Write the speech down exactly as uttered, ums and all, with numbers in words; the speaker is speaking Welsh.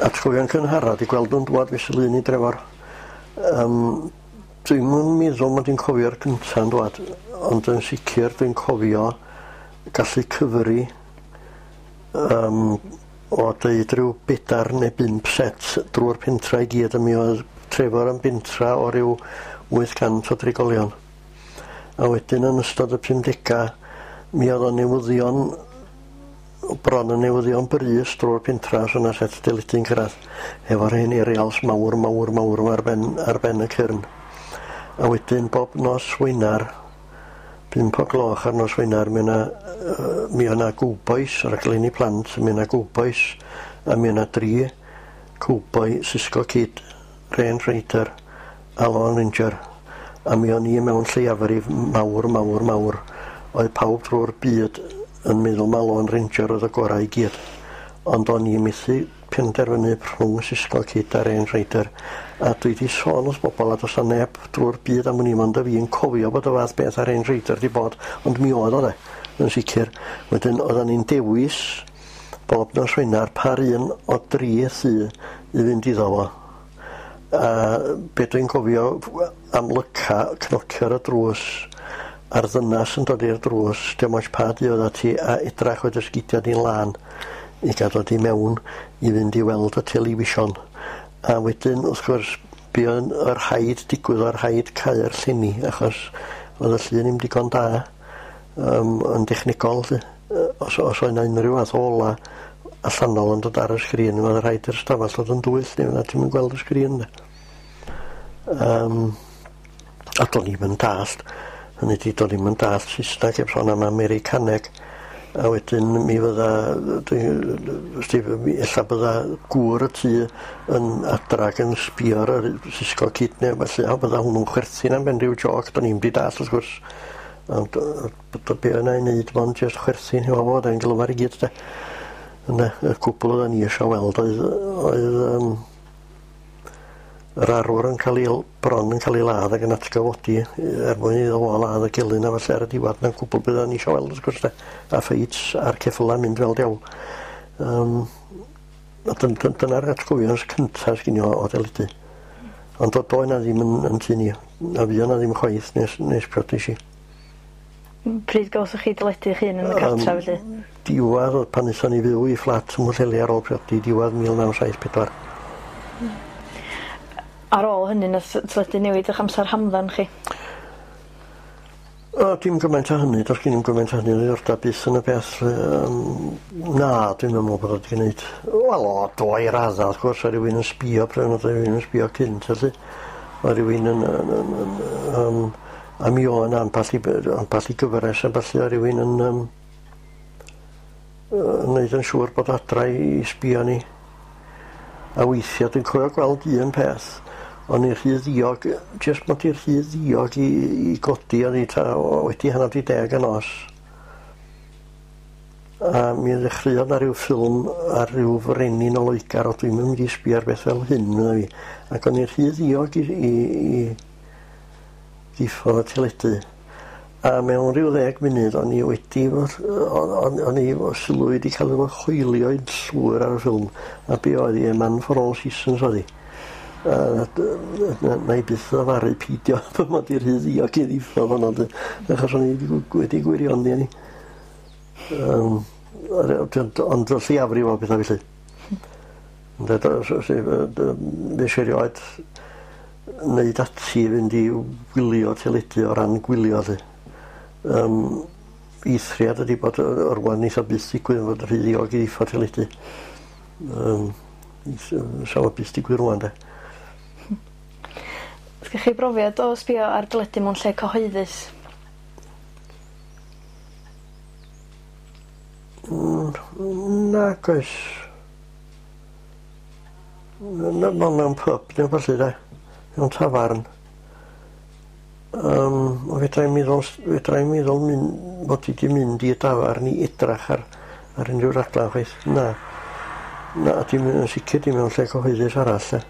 Atgofion cynhara 'di gweld nhw'n dŵad fesul un i Drefor. Yym dwi'm yn meddwl mod i'n cofio'r cynta'n dŵad ond yn sicir dwi'n cofio gallu cyfri yym o deud ryw bedar neu bump set drw'r pentra i gyd a mi oedd Trefor yn bentra o ryw wyth cant o drigolion. A wedyn yn ystod y pumdega mi o'dd o'n newyddion bron yn newyddion brys drwy'r pentra os o' 'na set deledu'n cyrradd efo'r hen aerials mawr mawr mawr 'ma ar ben ar ben y cyrn. A wedyn bob nos Wenar pump o gloch ar nos Wenar mi o' 'na yy mi o' 'na gowbois raglenni plant mi o' 'na gowbois a mi o' 'na dri cowboi Sisco Kid, Range Rider a Lone Ranger a mi o'n i mewn lleiafrif mawr mawr mawr oedd pawb drwy'r byd yn meddwl ma' Lone Ranger oedd y gorau i gyd ond o'n i methu penderfynu rhwng Sisco Kid a Range Rider a dwi 'di sôn wrth bobol a do's 'na neb drwy'r byd am wn i mond y fi'n cofio bod y fath beth a Range Rider 'di bod ond mi oedd o 'de yn sicir. Wedyn oddan ni'n dewis bob nos Wener par un o dri thŷ i fynd iddo fo a be dwi'n cofio amlyca cnocio ar y drws a'r ddynas yn dod i'r drws dio'm ots pa du oeddat ti a edrach oedd y sgidia di'n lân i ga'l dod i mewn i fynd i weld y television a wedyn wrth gwrs buon y rhaid digwydd o rhaid cau'r llenni achos oedd y llun ddim digon da yym yn dechnegol 'lly. Yy os os oedd 'na unrhyw fath o ola allanol yn dod ar y sgrin o'dd rhaid i'r stafell fod yn dwyll neu fydda ti'm yn gweld y sgrin 'de. Yym a do'n i'm yn dallt hynny 'di do'n i'm yn dallt Saesneg heb sôn am Americaneg a wedyn mi fydda dwi wsti ella bydda gŵr y tŷ yn adra ac yn sbio ar yr Sisco Kid neu felly a bydda hwnnw'n chwerthin am ben ryw jôc do'n i'm 'di dallt wrth gwrs ond yy b- be' yna i neud mond jyst chwerthin hefo fo o'dd e'n glyfar i gyd de. Ynde y cwbl oeddan ni isio weld oedd oedd yym yr arwr yn ca'l 'i l- bron yn ca'l 'i ladd ag yn atgyfodi er mwyn iddo fo ladd y gelyn a felly ar y diwadd 'na'n cwbl be' oddan ni isio weld wrth gwrs de. A ffeits a'r ceffyla'n mynd fel diawl. Yym a dyn- dyn- dyna'r atgofion cynta sgin i o o deledu. Ond do- doedd 'na ddim yn yn tŷ ni. Na fuo 'na ddim chwaith nes nes priodes i. Pryd gawsoch chi deledu eich hun yn y cartra felly? Diwadd o'dd pan nethon ni fyw i fflat ym Mhwllheli ar ôl priodi diwadd mil naw saith pedwar. Ar ôl hynny nath teledu newid 'ych amser hamdden chi? O dim gymaint â hynny do's gen i'm gymaint â hynny o ddiddordab byth yn y peth yym na dwi'm yn me'wl bod o 'di gneud wel o do i radda wrth gwrs o' rywun yn sbïo pryd o'dd rywun yn sbïo cynt felly o' rywun yn yn yn yn yym a mi o' 'na amball i by- amball i gyfres a ballu o' rywun yn yym yy yn neud yn siŵr bod adra i i sbïo ni. A weithia dwi'n cofio gweld un peth o'n i rhy ddiog jyst mod i rhy ddiog i i godi oddi ta o wedi hannar 'di deg y nos. A mi ddechreuodd 'na ryw ffilm ar ryw frenin o Loegar o dwi'm yn mynd i sbio ar beth fel hyn medda fi ac o'n i rhy ddiog i i i ddiffodd y teledu a mewn ryw ddeg munud o'n i wedi fy o'n o'n o'n i fy sylw wedi ca'l fy hoelio i'n llwyr ar y ffilm a be oedd hi A Man for All Seasons oedd hi. A d- na na i byth ddyfaru peidio fy mod i rhy ddiog i ddiffodd honno 'de achos o'n i wedi wedi gwirioni arni. Yym ond y lleiafrif o betha felly. Ynde do- so- so- yy dy- nes i erioed neud ati i fynd i wylio teledu o ran gwylio 'lly. Yym eithriad ydi bod yy yy rŵan neith o byth digwydd fod rhy ddiog i ddiffodd teledu. Yym sa fo byth digwydd rŵan 'de. Sgych chi brofiad o sbïo ar deledu mewn lle cyhoeddus? Mm nag oes. Na mewn mewn pub ne' wbath 'lly 'de? Mewn tafarn. Yym o fedrai'm meddwl s- fedrai'm meddwl myn- mod i 'di mynd i dafarn i edrach ar ar unryw raglan chwaith. Na. Na dim yn sicir dim mewn lle cyhoeddus arall 'de.